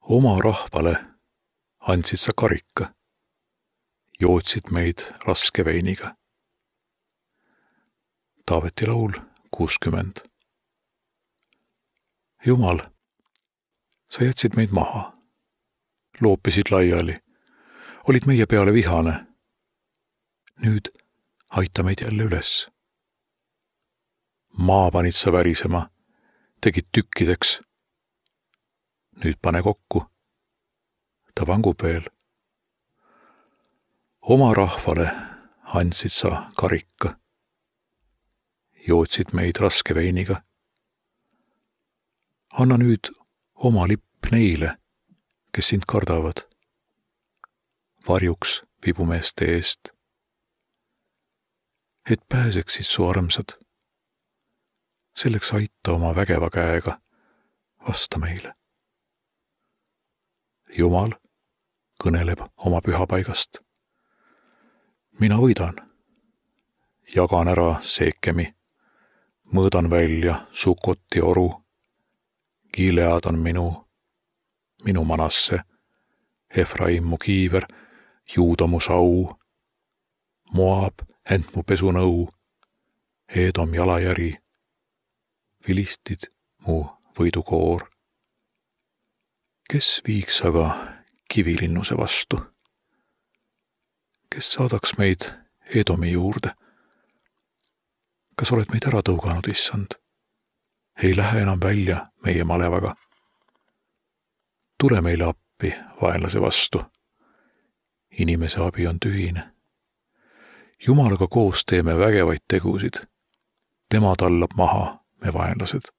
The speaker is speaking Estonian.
Oma rahvale andsid sa karika, jootsid meid raske veiniga. Taaveti laul 60. Jumal, sa jätsid meid maha, loopisid laiali, olid meie peale vihane. Nüüd aita meid jälle üles. Maa panid sa värisema, tegid tükkideks. Nüüd pane kokku, ta vangub veel. Oma rahvale andsid sa karika, jootsid meid raske veiniga. Anna nüüd oma lipp neile, kes sind kardavad, varjuks vibumeeste eest, et pääseksid su armsad. Selleks aita oma vägeva käega, vasta meile. Jumal kõneleb oma pühapaigast. Mina võidan, jagan ära Seekemi, mõõdan välja Sukoti oru. Gilead on minu Manasse, Efraim mu kiiver, Juuda mu sau, Moab ent mu pesunõu, Edom jalajäri, Filistid mu võidukoor. Kes viiks aga kivilinnuse vastu? Kes saadaks meid Edomi juurde? Kas oled meid ära tõuganud, issand? Ei lähe enam välja meie malevaga. Tule meile appi vaenlase vastu. Inimese abi on tühine. Jumalaga koos teeme vägevaid tegusid. Tema tallab maha me vaenlased.